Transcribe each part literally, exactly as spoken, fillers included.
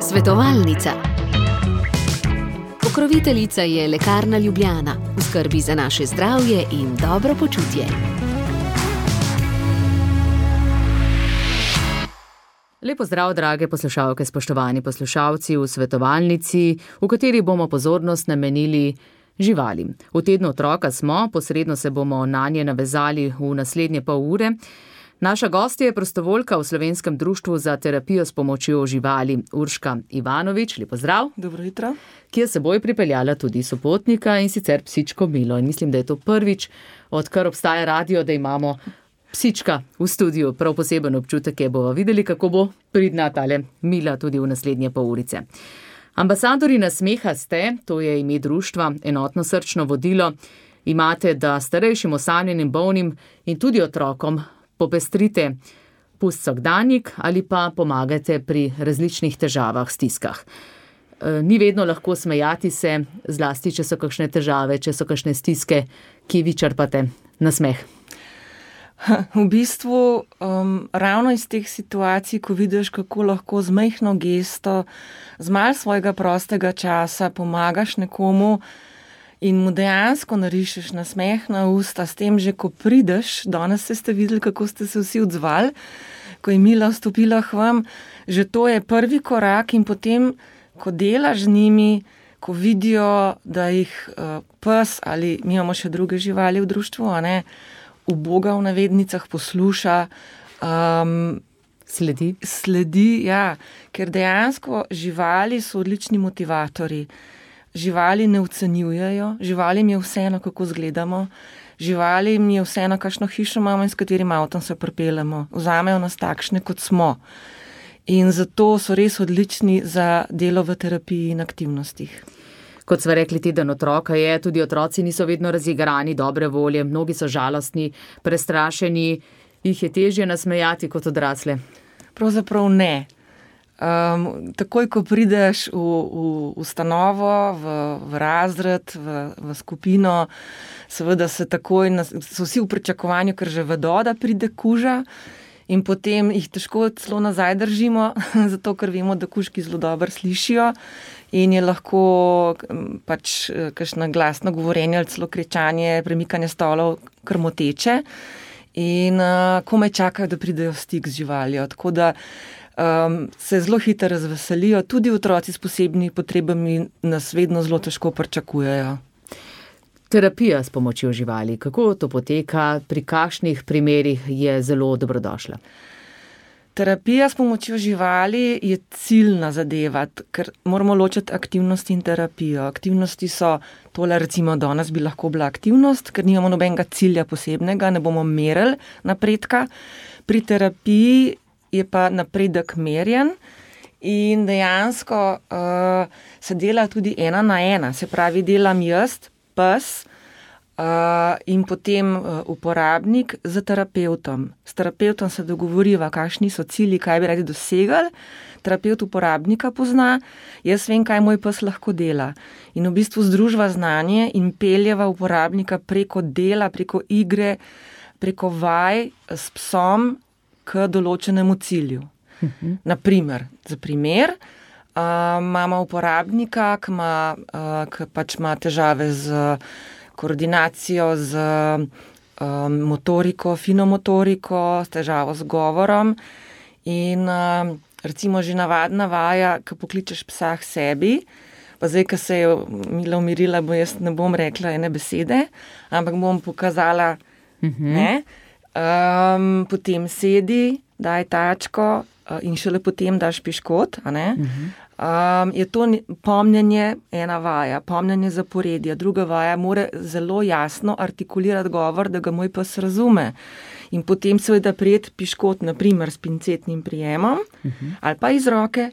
Svetovalnica. Pokroviteljica je Lekarna Ljubljana, v skrbi za naše zdravje in dobro počutje. Lepo zdrav, drage poslušalke, spoštovani poslušalci v svetovalnici, v kateri bomo pozornost namenili živalim. V tednu otroka smo, posredno se bomo nanje navezali v naslednje pol ure. Naša gostja je prostovoljka v Slovenskem društvu za terapijo s pomočjo živali Urška Ivanovič. Lepo zdrav. Dobro jutro. Ki je s seboj pripeljala tudi sopotnika, in sicer psičko Milo. In mislim, da je to prvič, odkar obstaja radio, da imamo psička v studiu. Prav poseben občutek je, bova videli, kako bo pridna tale Mila tudi v naslednje pol urice. Ambasadori nasmeha ste, to je ime društva, enotno srčno vodilo. Imate, da starejšim, osamljenim, bolnim in tudi otrokom popestrite pust vsakdanjik ali pa pomagate pri različnih težavah, stiskah. Ni vedno lahko smejati se, zlasti, če so kakšne težave, če so kakšne stiske, ki vi črpate nasmeh. V bistvu um, ravno iz teh situacij, ko vidiš, kako lahko z majhno gesto, z malo svojega prostega časa pomagaš nekomu in mu dejansko narišeš nasmeh na usta, s tem že, ko prideš, danes ste videli, kako ste se vsi odzvali, ko je Mila vstopila k vam, že to je prvi korak in potem, ko delaš z njimi, ko vidijo, da jih uh, pes ali mi imamo še druge živali v društvu, a ne, uboga v navednicah posluša, um, sledi. Sledi, ja, ker dejansko živali so odlični motivatorji. Živali ne ocenjujejo, živalim je vseeno, kako izgledamo, živalim je vseeno, kakšno hišo imamo in s katerim avtom se pripeljemo. Vzamejo nas takšne, kot smo. In zato so res odlični za delo v terapiji in aktivnostih. Kot sva rekli, teden otroka je, tudi otroci niso vedno razigrani, dobre volje, mnogi so žalostni, prestrašeni, jih je težje nasmejati kot odrasle. Pravzaprav ne. Um, takoj, ko prideš v, v ustanovo, v, v razred, v, v skupino, seveda se takoj, so vsi v pričakovanju, ker že vedo, da pride kuža in potem jih težko celo nazaj držimo, zato ker vemo, da kužki zelo dobro slišijo in je lahko pač kakšno glasno govorenje ali celo kričanje, premikanje stolov kar moteče in uh, komaj čakajo, da pridejo v stik z živaljo. Tako da Um, se zelo hitro razveselijo, tudi otroci s posebnimi potrebami nas vedno zelo težko pričakujejo. Terapija s pomočjo živali, kako to poteka, pri kakšnih primerih je zelo dobrodošla? Terapija s pomočjo živali je ciljna zadeva, ker moramo ločiti aktivnost in terapijo. Aktivnosti so tole, recimo danes bi lahko bila aktivnost, ker nimamo nobenega cilja posebnega, ne bomo merili napredka. Pri terapiji je pa napredek merjen in dejansko uh, se dela tudi ena na ena, se pravi delam jaz, pes uh, in potem uh, uporabnik z terapevtom. S terapevtom se dogovoriva, kakšni so cilji, kaj bi radi dosegali, terapevt uporabnika pozna, jaz vem, kaj moj pes lahko dela. In v bistvu združva znanje in peljeva uporabnika preko dela, preko igre, preko vaj s psom, k določenemu cilju. Uh-huh. Naprimer, za primer, uh, imamo uporabnika, ki ima, uh, ki pač ima težave z koordinacijo, z um, motoriko, fino motoriko, s težavo z govorom in uh, recimo že navadna vaja, ki pokličeš psa k sebi, pa zdaj, ko se je Mila umirila, bo jaz ne bom rekla ene besede, ampak bom pokazala, uh-huh. ne, Um, potem sedi, daj tačko uh, in šele potem daš piškot. A ne? Uh-huh. Um, je to pomnjenje ena vaja, pomnjenje zaporedja. Druga vaja mora zelo jasno artikulirati govor, da ga moj pes razume. In potem seveda prijeti piškot, naprimer s pincetnim prijemom, uh-huh. ali pa iz roke,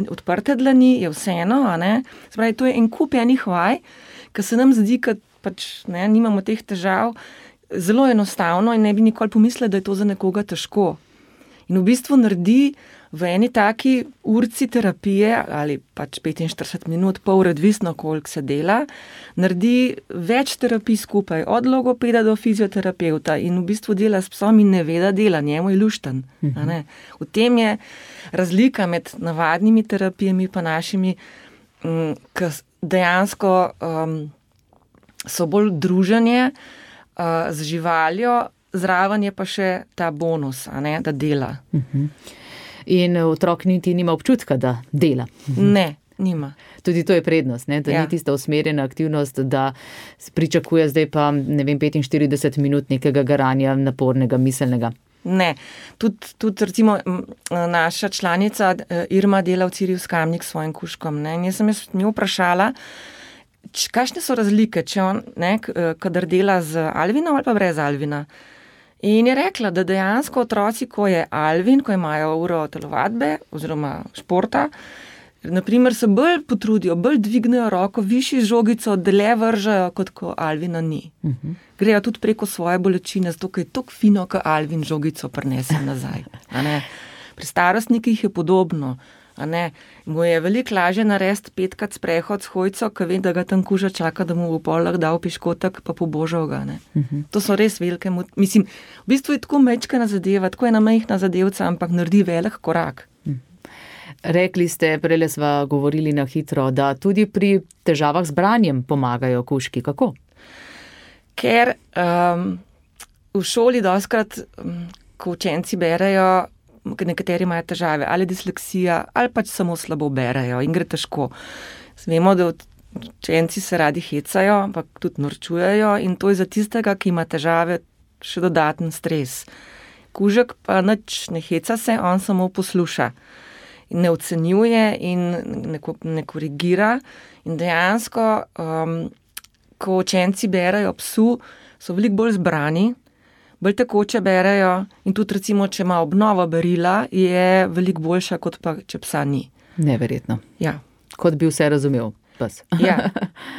odprte dlani, je vseeno. A ne? Spravi, to je en kup enih vaj, ki se nam zdi, da pač ne, nimamo teh težav, zelo enostavno in ne bi nikoli pomislili, da je to za nekoga težko. In v bistvu naredi v eni taki urci terapije ali pač petinštirideset minut, pol ure, odvisno koliko se dela, naredi več terapij skupaj, od logopeda do fizioterapeuta in v bistvu dela s psom in ne ve, da dela, njemu je lušten. Uh-huh. V tem je razlika med navadnimi terapijami pa našimi, um, ki dejansko um, so bolj druženje uh, z živaljo, zraven je pa še ta bonus, a ne, da dela. Uh-huh. In otrok niti nima občutka, da dela. Ne, nima. Tudi to je prednost, ne? Da ja. Ni tista usmerjena aktivnost, da pričakuje zdaj pa, ne vem, petinštirideset minut nekega garanja napornega, miselnega. Ne, tudi, tudi recimo naša članica Irma dela v Cirju Skamnik s svojim kužkom. Ne? In jaz sem jaz njo vprašala, kakšne so razlike, če on, ne, kadar dela z Alvinom ali pa brez Alvina. In je rekla, da dejansko otroci, ko je Alvin, ko imajo uro telovadbe oziroma športa, naprimer se bolj potrudijo, bolj dvignejo roko, višji žogico, dlje vržajo, kot ko Alvina ni. Uh-huh. Grejo tudi preko svoje bolečine, zato ker je tako fino, ko Alvin žogico prinese nazaj. A ne? Pri starostnikih je podobno. A ne, mu je veliko lažje narediti petkrat sprehod s hojco, ko ve, da ga tam kuža čaka, da mu v polah dal piškotek, pa pobožal ga. Ne. Uh-huh. To so res velike, mislim, v bistvu je tako mečkana zadeva, tako je ena majhna zadevca, ampak naredi velik korak. Uh-huh. Rekli ste, prele sva govorili na hitro, da tudi pri težavah z branjem pomagajo kužki. Kako? Ker um, v šoli dostkrat, um, ko učenci berejo, nekateri imajo težave, ali disleksija, ali pač samo slabo berejo in gre težko. Vemo, da učenci se radi hecajo, ampak tudi norčujejo in to je za tistega, ki ima težave, še dodaten stres. Kužek pa nič ne heca se, on samo posluša. Ne ocenjuje in ne, ne korigira in dejansko, um, ko učenci berejo psu, so veliko bolj zbrani, bolj tekoče berejo in tudi recimo, če ima obnova berila, je veliko boljša, kot pa, če psa ni. Neverjetno. Ja. Kot bi vse razumel pes. Ja.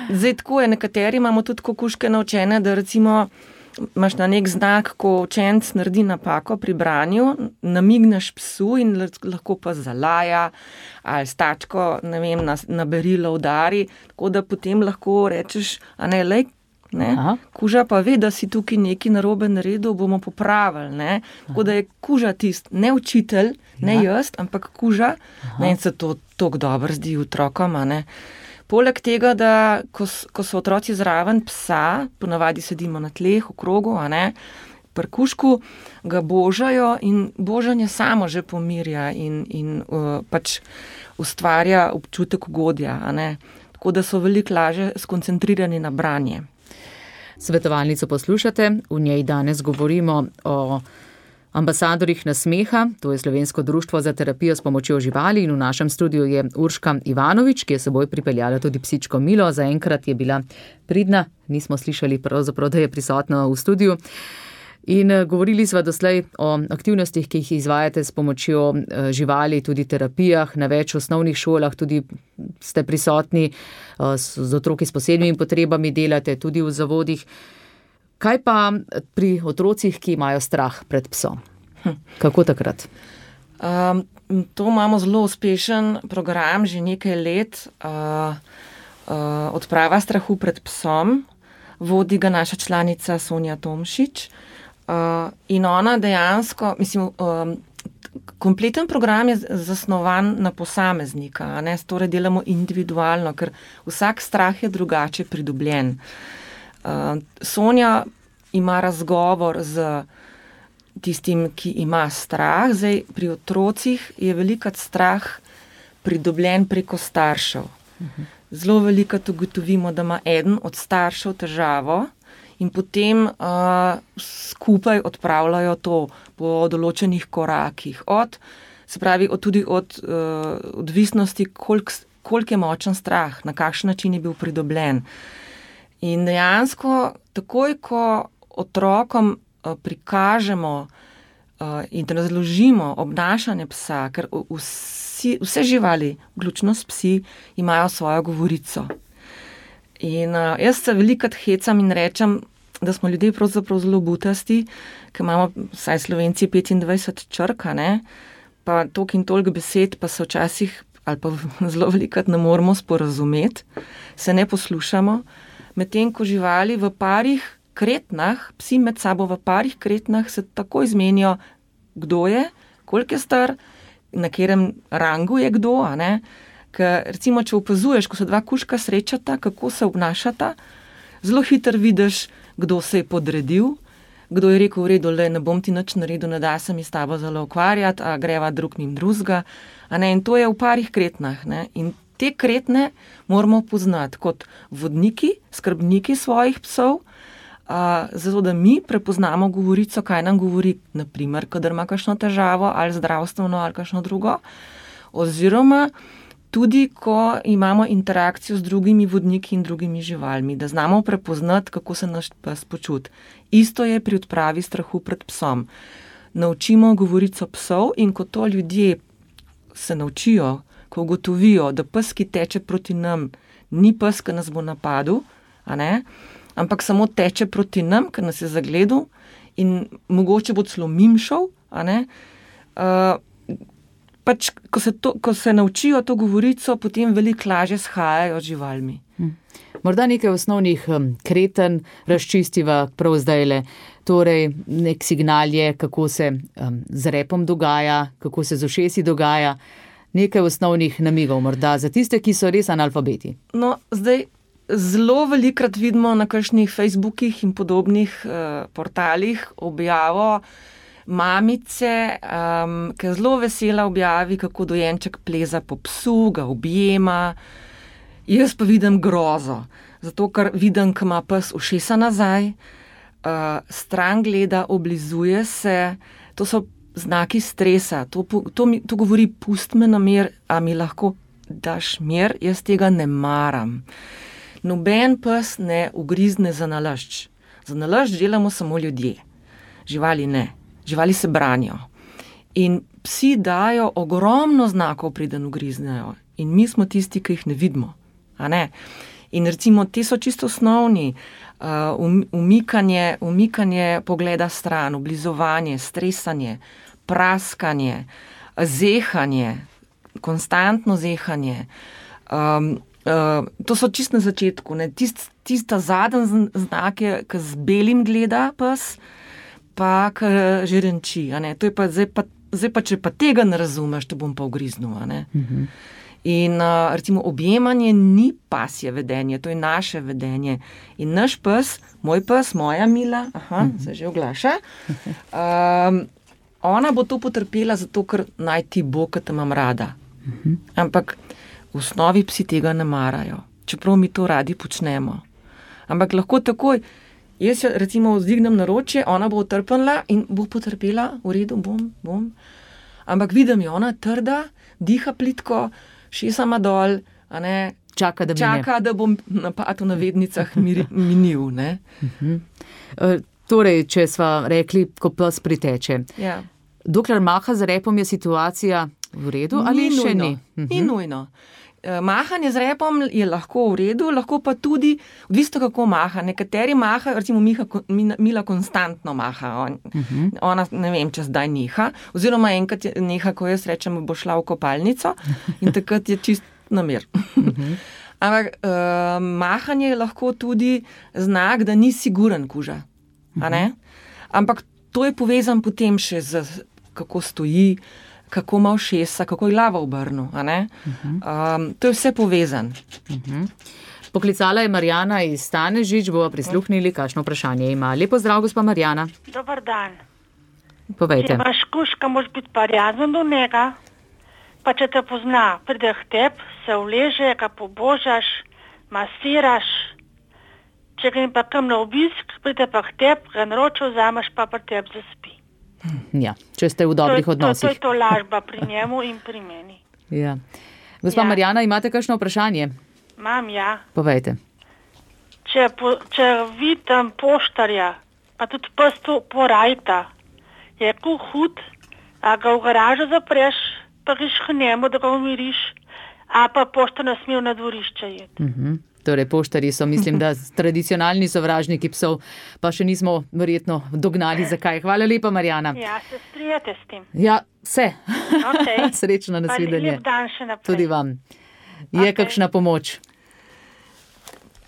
Zdaj tako je, nekateri imamo tudi kužke naučene, da recimo imaš na nek znak, ko učenc naredi napako pri branju, namigneš psu in lahko pa zalaja ali s tačko, ne vem, na, na berilo udari, tako da potem lahko rečeš, a ne, lej, ne? Kuža pa ve, da si tukaj neki narobe naredil, bomo popravili. Ne? Tako da je kuža tist, ne učitelj, ne ja. Jaz, ampak kuža. Ne? In se to tako dobro zdi otrokom. Ne? Poleg tega, da ko, ko so otroci zraven psa, ponavadi sedimo na tleh, v krogu, a ne, pri kužku ga božajo in božanje samo že pomirja in, in uh, pač ustvarja občutek ugodja. A ne? Tako da so veliko lažje skoncentrirani na branje. Svetovalnico poslušate, v njej danes govorimo o ambasadorjih nasmeha, to je Slovensko društvo za terapijo s pomočjo živali in v našem studiu je Urška Ivanovič, ki je seboj pripeljala tudi psičko Milo, zaenkrat je bila pridna, nismo slišali pravzaprav, da je prisotna v studiu. In govorili sva doslej o aktivnostih, ki jih izvajate s pomočjo živali, tudi terapijah, na več osnovnih šolah, tudi ste prisotni z otroki s posebnimi potrebami, delate tudi v zavodih. Kaj pa pri otrocih, ki imajo strah pred psom? Kako takrat? Um, to imamo zelo uspešen program, že nekaj let, uh, uh, odprava strahu pred psom, vodi ga naša članica Sonja Tomšič. Uh, in ona dejansko, mislim, um, kompleten program je zasnovan na posameznika, a ne, torej delamo individualno, ker vsak strah je drugače pridobljen. Uh, Sonja ima razgovor z tistim, ki ima strah, zdaj pri otrocih je velikrat strah pridobljen preko staršev. Uh-huh. Zelo velikrat ugotovimo, da ima eden od staršev težavo, in potem uh, skupaj odpravljajo to po določenih korakih. Od, se pravi, od, tudi od uh, odvisnosti, koliko kolik je močen strah, na kakšen način je bil pridobljen. In dejansko, takoj, ko otrokom uh, prikažemo uh, in razložimo obnašanje psa, ker vsi, vse živali, vključno s psi, imajo svojo govorico. In uh, jaz se velikrat hecam in rečem, da smo ljudje pravzaprav zelo butasti, ker imamo, vsaj Slovenci, petindvajset črk, ne, pa toliko in toliko besed, pa se včasih, ali pa zelo velikrat ne moremo sporazumeti, se ne poslušamo, medtem ko živali v parih kretnah, psi med sabo v parih kretnah se tako izmenijo, kdo je, koliko je star, na katerem rangu je kdo, a ne, ker recimo, če opazuješ, ko se dva kužka srečata, kako se obnašata, zelo hitro vidiš, kdo se je podredil, kdo je rekel, v redu, le, ne bom ti nič naredil, ne da se mi s tabo zelo ukvarjati, a greva drug njim drugega, a ne, in to je v parih kretnah, ne, in te kretne moramo poznati kot vodniki, skrbniki svojih psov, a, zato da mi prepoznamo govorico, kaj nam govori, naprimer, kadar ima kakšno težavo, ali zdravstveno, ali kakšno drugo, oziroma tudi, ko imamo interakcijo z drugimi vodniki in drugimi živalmi, da znamo prepoznati, kako se naš pes počuti. Isto je pri odpravi strahu pred psom. Naučimo govorico psov in ko to ljudje se naučijo, ko ugotovijo, da pes, ki teče proti nam, ni pes, ki nas bo napadel, a ne, ampak samo teče proti nam, ker nas je zagledal in mogoče bo celo mimšal, a ne, uh, pač, ko se, to, ko se naučijo to govorico, potem veliko lažje shajajo z živalmi. Hm. Morda nekaj osnovnih um, kreten razčistiva prav zdajle. Torej, nek signal je, kako se um, z repom dogaja, kako se z ušesi dogaja. Nekaj osnovnih namigov morda za tiste, ki so res analfabeti. No, zdaj zelo velikrat vidimo na kakšnih Facebookih in podobnih uh, portalih objavo mamice, um, ki je zelo vesela objavi, kako dojenček pleza po psu, ga objema. Jaz pa vidim grozo, zato ker vidim, ko ima pes ušesa nazaj, uh, stran gleda, oblizuje se, to so znaki stresa, to, to, mi, to govori, pust me na mir, a mi lahko daš mir, jaz tega ne maram. Noben pes ne ugrizne za nalašč. Za nalašč delamo samo ljudje, živali ne. Živali se branijo. In psi dajo ogromno znakov, preden ugriznejo. In mi smo tisti, ki jih ne vidimo. A ne? In recimo, te so čisto osnovni. Uh, umikanje, umikanje pogleda stran, oblizovanje, stresanje, praskanje, zehanje, konstantno zehanje. Um, uh, to so čisto na začetku. Ne? Tist, tista zadnji znak je, ki z belim gleda pes, pa kar že renči, a ne, to je pa zdaj, pa, zdaj pa, če pa tega ne razumeš, te bom pa ugriznil, a ne. Uh-huh. In uh, recimo objemanje ni pasje vedenje, to je naše vedenje. In naš pes, moj pes, moja Mila, aha, uh-huh. se že oglaša, um, ona bo to potrpela zato, ker naj ti bo, ker te imam rada. Uh-huh. Ampak v osnovi psi tega ne marajo, čeprav mi to radi počnemo. Ampak lahko takoj, jaz jo recimo vzdignem naročje, ona bo utrpela in bo potrpela, v redu, bom, bom. Ampak vidim jo, ona trda, diha plitko, šesama dol, a ne, čaka, da, čaka, da bom napad v navednicah minil, ne. Uh-huh. Uh, torej, če sva rekli, ko pes priteče. Ja. Dokler maha z repom, je situacija v redu ali ni še nujno. ni? Uh-huh. Ni nujno. Mahanje z repom je lahko v redu, lahko pa tudi, odvisno kako maha. Nekateri maha, recimo Miha, Mila konstantno maha, on, uh-huh. ona ne vem, če zdaj neha, oziroma enkrat je neha, ko jaz rečem, bo šla v kopalnico in takrat je čist namir. Uh-huh. Ampak uh, mahanje je lahko tudi znak, da ni siguren kuža. Uh-huh. A ne? Ampak to je povezan potem še z kako stoji, kako ima ušesa, kako je glava obrnil, a ne? Uh-huh. Um, to je vse povezan. Uh-huh. Poklicala je Marjana iz Stanežič, bova prisluhnili, kakšno vprašanje ima. Lepo zdrav, gospa Marjana. Dobar dan. Povejte. Če imaš kužka, moraš biti prijazen do njega, pa če te pozna, pride k tebi, se vleže, ga pobožaš, masiraš. Če ga pa kam na obisk, pride pa k tebi, ga naročil vzameš, pa pri tebi zaspi. Ja, če ste v dobrih to, odnosih. To, to je to lažba pri njemu in pri meni. Ja. Gospa ja. Marjana, imate kakšno vprašanje? Imam, ja. Povejte. Če, po, če vidim poštarja, pa tudi pes to porajta, je ko hud, a ga v garažo zapreš, pa greš k njemu, da ga umiriš, a pa poštar ne smel na dvorišče jeti. Uh-huh. Torej, poštarji so, mislim, da tradicionalni sovražniki psov, pa še nismo verjetno dognali, zakaj. Hvala lepa, Marjana. Ja, se strijate s tem. Ja, vse. Okay. Srečno nasvidenje. Lep dan še naprej. Tudi vam. Je okay. kakšna pomoč?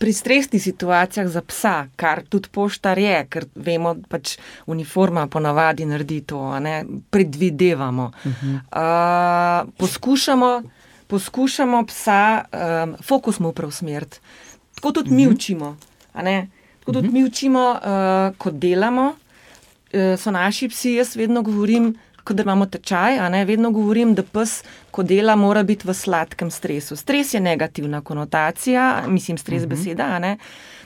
Pri stresnih situacijah za psa, kar tudi poštar je, ker vemo, pač uniforma ponavadi naredi to, a ne, predvidevamo. Uh-huh. Uh, poskušamo, poskušamo psa, um, fokus mu preusmeriti. Tako tudi uh-huh. mi učimo, a ne, tako tudi uh-huh. mi učimo, uh, ko delamo, uh, so naši psi, jaz vedno govorim, ko da imamo tečaj, a ne, vedno govorim, da pes, ko dela, mora biti v sladkem stresu. Stres je negativna konotacija, mislim, stres uh-huh. beseda, a ne.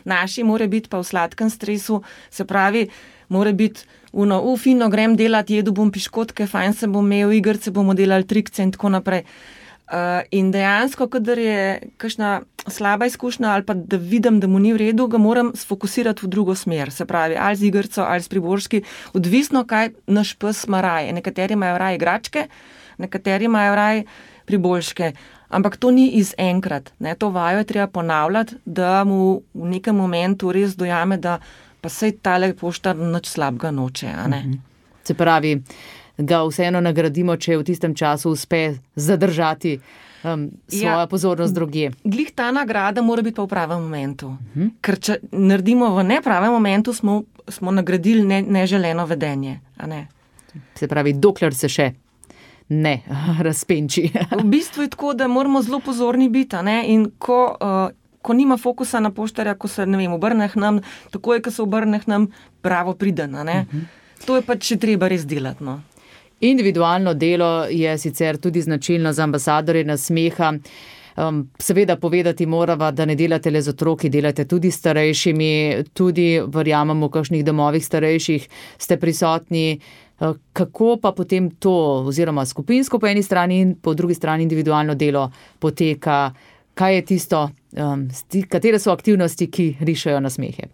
Naši mora biti pa v sladkem stresu, se pravi, mora biti uno, u, fino, grem delati, jedu bom piškotke, fajn se bom imel, igrce bomo delali, trikce in tako naprej. Uh, in dejansko, kadar je kakšna slaba izkušnja ali pa da vidim, da mu ni v redu, ga moram sfokusirati v drugo smer, se pravi, ali z igrco, ali z priboržki, odvisno, kaj naš pes ima raje. Nekateri imajo raje igračke, nekateri imajo raje priboržke, ampak to ni iz enkrat, ne? To vajo je treba ponavljati, da mu v nekem momentu res dojame, da pa sej tale poštar nič slabega noče, a ne? Se pravi, ga vseeno nagradimo, če v tistem času uspe zadržati um, svojo ja, pozornost drugje. Glih ta nagrada mora biti pa v pravem momentu. Uh-huh. Ker če naredimo v nepravem momentu, smo, smo nagradili ne, neželeno vedenje. A ne? Se pravi, dokler se še ne razpenči. V bistvu je tako, da moramo zelo pozorni biti, a ne? In ko, uh, ko nima fokusa na poštarja, ko se, ne vem, obrne k nam, tako je, ko se obrne k nam, bravo priden, a ne? Uh-huh. To je pač še treba res delati, no. Individualno delo je sicer tudi značilno za ambasadorje nasmeha. Um, seveda povedati morava, da ne delate le z otroki, delate tudi s starejšimi, tudi verjamemo v kakšnih domovih starejših ste prisotni. Uh, kako pa potem to, oziroma skupinsko po eni strani in po drugi strani individualno delo poteka? Kaj je tisto, um, katere so aktivnosti, ki rišejo nasmehe?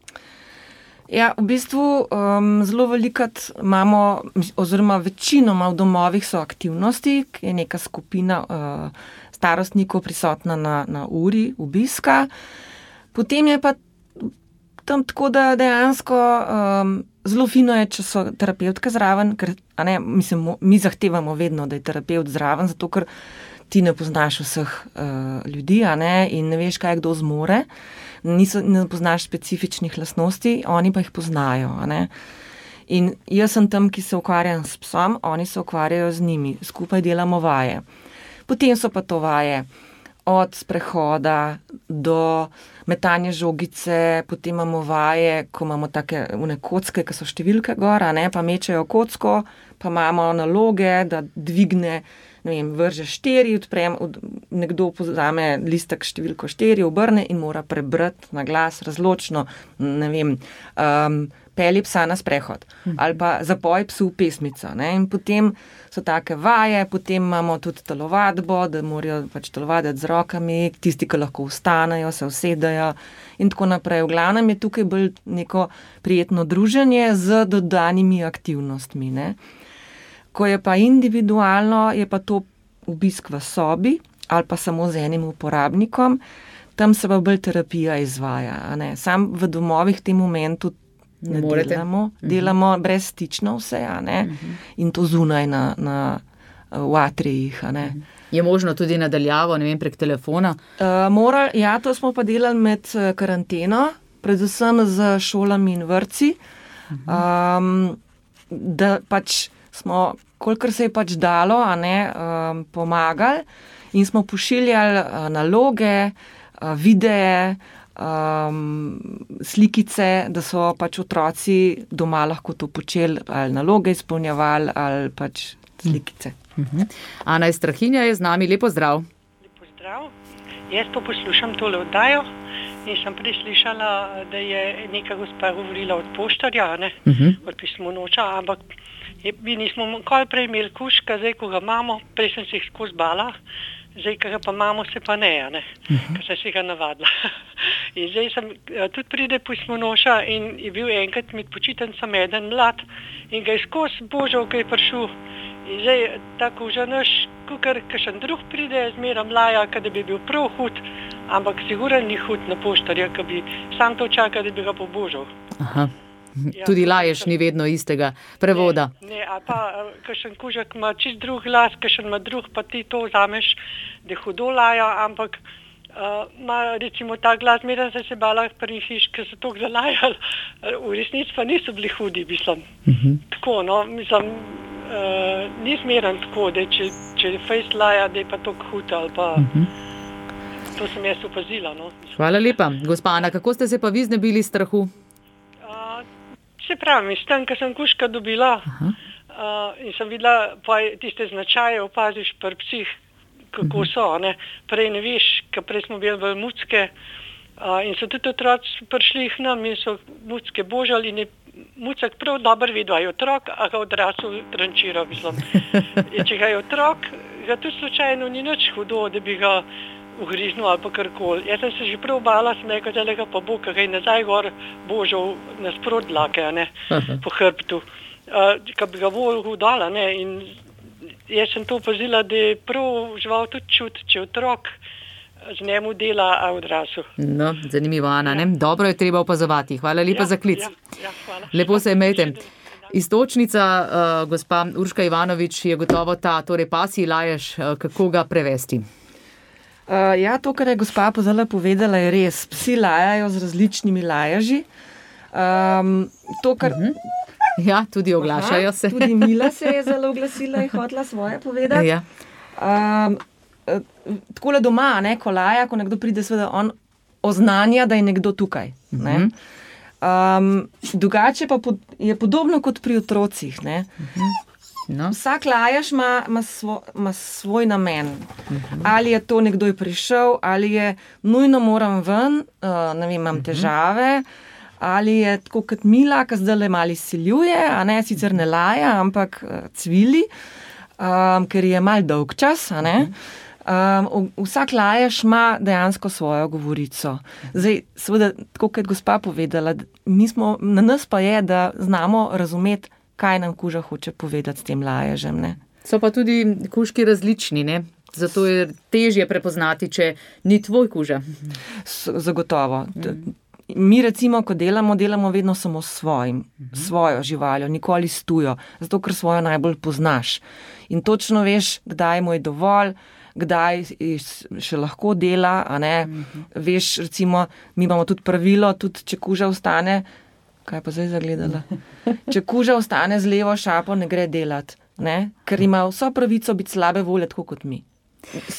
Ja, v bistvu um, zelo velikrat imamo, oziroma večinoma v domovih so aktivnosti, ki je neka skupina uh, starostnikov prisotna na, na uri obiska. Potem je pa tam tako, da dejansko um, zelo fino je, če so terapevtke zraven, ker a ne, mislim, mi zahtevamo vedno, da je terapevt zraven, zato ker ti ne poznaš vseh uh, ljudi, a ne, in ne veš, kaj kdo zmore. Niso, ne poznaš specifičnih lastnosti, oni pa jih poznajo. A ne? In jaz sem tam, ki se ukvarjam s psom, oni se ukvarjajo z njimi, skupaj delamo vaje. Potem so pa to vaje od sprehoda do metanja žogice, potem imamo vaje, ko imamo take une kocke, ki so številke gor, a ne, pa mečejo kocko, pa imamo naloge, da dvigne, ne vem, vrže štiri, odprem, od, nekdo pozame listek številko štiri, obrne in mora prebrati na glas razločno, ne vem, um, pelji psa na sprehod ali pa zapoj psu pesmico. Ne? In potem so take vaje, potem imamo tudi telovadbo, da morajo pač telovaditi z rokami, tisti, ki lahko vstanejo, se usedajo in tako naprej. V glavnem je tukaj bolj neko prijetno druženje z dodanimi aktivnostmi. Ne? Ko je pa individualno, je pa to obisk v sobi ali pa samo z enim uporabnikom, tam se pa bolj terapija izvaja. A ne? Sam v domovih v tem momentu ne Morete. delamo, delamo uh-huh. brezstično vse, a ne, uh-huh. in to zunaj na, na v atrijih, a ne. Uh-huh. Je možno tudi nadaljavo, ne vem, prek telefona? Uh, moral, ja, to smo pa delali med karanteno, predvsem z šolami in vrtci, uh-huh. um, da pač smo, kolikor se je pač dalo, a ne, um, pomagali in smo pošiljali uh, naloge, uh, videe, Um, slikice, da so pač otroci doma lahko to počeli, ali naloge izpolnjevali, ali pač slikice. Uh-huh. Ana iz Strahinja je z nami, lepo zdrav. Lepo zdrav. Jaz pa poslušam tole oddajo in sem prislišala, da je neka gospa govorila od poštarja, ne, uh-huh. od pismonoča, ampak je, mi nismo nikoli prej imeli kužka, zdaj, ko ga imamo, prej sem se jih skozi bala, zdaj, ko ga pa imamo, se pa ne, ne, uh-huh. ker sem se ga navadila. In zdaj sem, tudi pride pismonoša in je bil enkrat med počitnicami eden mlad in ga je skozi božal, ko je prišel. In zdaj tako že naš, kukar kakšen drug pride, zmeram laja, kada bi bil prav hud, ampak sigurno ni hud na poštarja, ki bi sam to čakal, da bi ga pobožal. Aha. Tudi laješ ni vedno istega prevoda. Ne, ne, a pa kakšen kužek ima čist drug glas, kakšen ima drug, pa ti to vzameš, da hudo laja, ampak ima uh, recimo ta glas, medem sem se bala pri hiš, ker so toliko zalajali, v resnici pa niso bili hudi, mislim. Uh-huh. Tako, no, mislim, uh, ni zmeren tako, da če, če je fejst laja, da je pa toliko hud, ali pa uh-huh. To sem jaz opazila, no. Hvala lepa. Gospa Ana, kako ste se pa vi znebili strahu? Se pravi, s tem, ko sem kužka dobila uh, in sem videla, pa tiste značaje opaziš pri psih, kako so, ne. Prej ne veš, ker prej smo bili v mucke uh, in so tudi otroci prišli k nam in so mucke božali in je mucek prav dobro videl, a je otrok, a ga odrasel trančira, mislim. In če ga je otrok, ga tudi slučajno ni nič hudo, da bi ga ugriznil ali pa karkoli. Jaz sem se že prav bala, sem rekel, da ga pa bo, ker ga je nazaj gor božal nasprot dlake, ne, po hrbtu. Uh, ka bi ga bolj hudala, ne, in jaz sem to opazila, da je prav žival tudi čut, če otrok z njemu dela, a odrasel. No, zanimivo, Ana, ja. Ne? Dobro je treba opazovati. Hvala lepa ja, za klic. Ja, ja, hvala. Lepo se imejte. Istočnica, uh, gospa Urška Ivanovič, je gotovo ta, torej pasji laješ, uh, kako ga prevesti? Uh, ja, to, kar je gospa pozala povedala, je res. Psi lajajo z različnimi laježi. Um, to, kar... uh-huh. Ja, tudi oglašajo Aha, se. Tudi Mila se je zelo oglasila in hotela svoje povedati. Ja. Um, takole doma, ne, ko laja, ko nekdo pride, seveda on oznanja, da je nekdo tukaj. Uh-huh. Ne. Um, drugače pa pod, je podobno kot pri otrocih. Ne. Uh-huh. No. Vsak lajaš ima, ima, svo, ima svoj namen. Uh-huh. Ali je to nekdo je prišel, ali je nujno moram ven, uh, ne vem, imam uh-huh. težave, ali je tako kot Mila, ki zdaj le mali siljuje, a ne, sicer ne laja, ampak uh, cvili, um, ker je mal dolg čas, a ne. Um, vsak lajaš ima dejansko svojo govorico. Zdaj, seveda, tako kot gospa povedala, mi smo, na nas pa je, da znamo razumeti, kaj nam kuža hoče povedati s tem laježem, ne. So pa tudi kužki različni, ne? Zato je težje prepoznati, če ni tvoj kuža. Zagotovo. Mm. Mi recimo, ko delamo, delamo vedno samo s svojim, mm-hmm. svojo živaljo, nikoli s tujo, zato ker svojo najbolj poznaš. In točno veš, kdaj mu je dovolj, kdaj še lahko dela, a ne. Mm-hmm. Veš, recimo, mi imamo tudi pravilo, tudi če kuža ostane, kaj pa zdaj zagledala? Če kuža ostane z levo šapo, ne gre delati, ne? Ker ima vso pravico biti slabe volje, tako kot mi.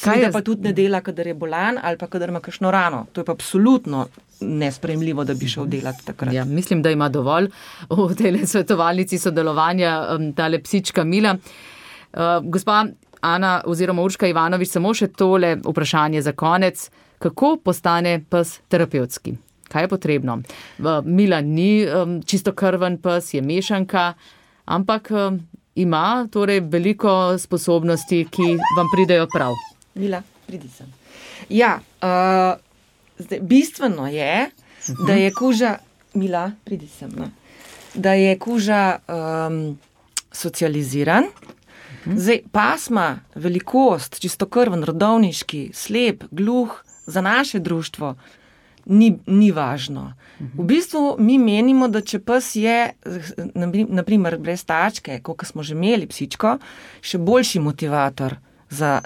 Kaj pa tudi ne dela, kadar je bolan ali pa kadar ima kakšno rano. To je pa absolutno nesprejemljivo, da bi šel delati takrat. Ja, mislim, da ima dovolj v tej svetovalnici sodelovanja um, tale psička Mila. Uh, gospa Ana oziroma Urška Ivanovič, samo še tole vprašanje za konec. Kako postane pes terapevtski? Kaj je potrebno? Mila ni um, čisto krven pes, je mešanka, ampak um, ima torej veliko sposobnosti, ki vam pridejo prav. Mila, pridi sem. Ja, uh, zdaj, bistveno je, uh-huh. da je kuža, Mila, pridi sem, no, da je kuža um, socializiran. Uh-huh. Zdaj, pasma, velikost, čisto krven, rodovniški, slep, gluh, za naše društvo, Ni, ni važno. V bistvu mi menimo, da če pes je, naprimer, brez tačke, koliko smo že imeli psičko, še boljši motivator za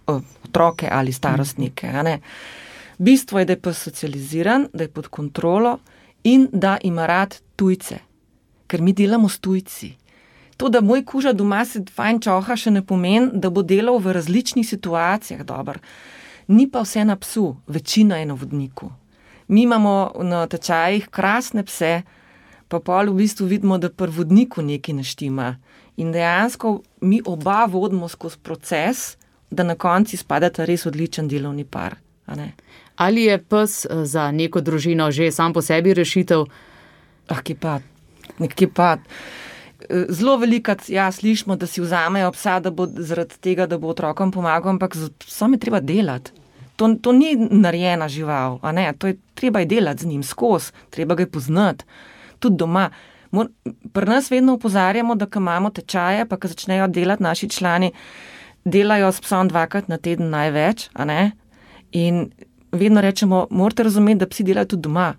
otroke ali starostnike. A ne? Bistvo je, da je pes socializiran, da je pod kontrolo in da ima rad tujce. Ker mi delamo s tujci. To, da moj kuža doma se fajn čoha, še ne pomeni, da bo delal v različnih situacijah dobro. Ni pa vse na psu, večina je na vodniku. Mi imamo na tečajih krasne pse, pa pol v bistvu vidimo, da pri vodniku nekaj ne štima. In dejansko mi oba vodimo skozi proces, da na konci spadata res odličen delovni par. A ne? Ali je pes za neko družino že sam po sebi rešitev? Ah, kje pa, nekje pa. Zelo velikrat, ja, slišimo, da si vzamejo psa, da bo zaradi tega, da bo otrokom pomagal, ampak z psom je treba delati. To, to ni narejena žival, a ne, to je treba je delati z njim skozi, treba ga je poznati, tudi doma. Mor, pri nas vedno opozarjamo, da ko imamo tečaje, pa ko začnejo delati naši člani, delajo s psom dvakrat na teden največ, a ne, in vedno rečemo, morate razumeti, da psi delajo tudi doma.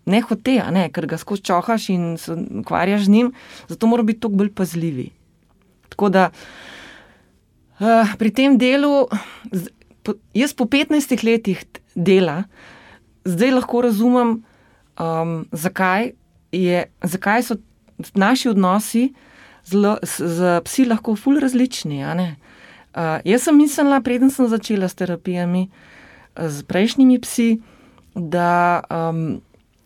Ne hote, a ne, ker ga skozi čohaš in se ukvarjaš z njim, zato moramo biti toliko bolj pazljivi. Tako da uh, pri tem delu, po, jaz po petnajstih letih dela, zdaj lahko razumem, um, zakaj, je, zakaj so naši odnosi z, z psi lahko ful različni. A ne? Uh, jaz sem mislila, preden sem začela s terapijami, z prejšnjimi psi, da, um,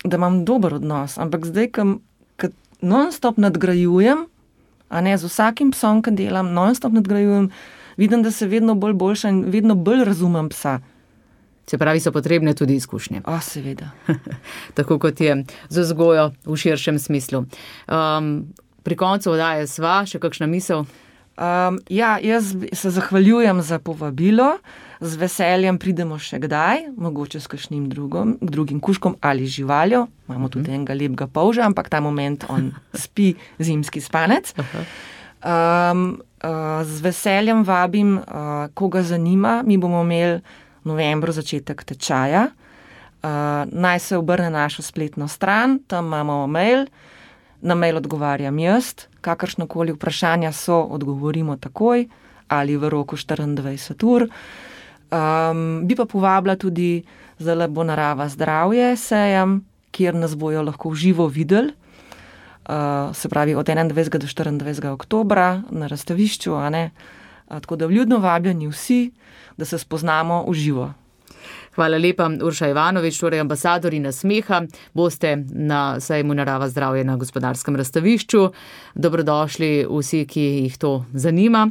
da imam dober odnos, ampak zdaj, ko non-stop nadgrajujem, a ne, z vsakim psom, ki delam, non-stop nadgrajujem, vidim, da se vedno bolj boljša in vedno bolj razumem psa. Se pravi, so potrebne tudi izkušnje. A, seveda. Tako kot je z vzgojo v širšem smislu. Um, pri koncu oddaje sva, še kakšna misel? Um, ja, jaz se zahvaljujem za povabilo, z veseljem pridemo še kdaj, mogoče s kakšnim drugom, drugim kužkom ali živaljo, imamo tudi uh-huh. enega lepega polža, ampak ta moment on spi zimski spanec. Uh-huh. Um, uh, z veseljem vabim, uh, koga zanima, mi bomo imeli v novembru začetek tečaja, uh, naj se obrne na našo spletno stran, tam imamo mail, na mail odgovarjam jaz, kakršnokoli vprašanja so, odgovorimo takoj ali v roku štiriindvajset ur. Um, bi pa povabila tudi zdaj bo Narava zdravje sejem, kjer nas bojo lahko v živo videli, uh, se pravi od enaindvajsetega do štiriindvajsetega oktobra na razstavišču, a ne? Uh, tako da vljudno vabljeni vsi, da se spoznamo v živo. Hvala lepa, Urša Ivanovič, torej ambasadorji nasmeha. Boste na sejmu Narava zdravje na Gospodarskem razstavišču. Dobrodošli vsi, ki jih to zanima.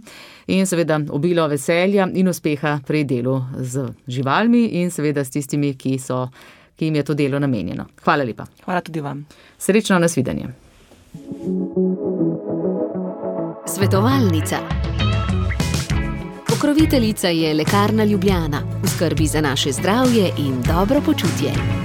In seveda obilo veselja in uspeha pri delu z živalmi in seveda s tistimi, ki, so, ki jim je to delo namenjeno. Hvala lepa. Hvala tudi vam. Srečno, nasvidenje. Svetovalnica. Pokroviteljica je Lekarna Ljubljana, v skrbi za naše zdravje in dobro počutje.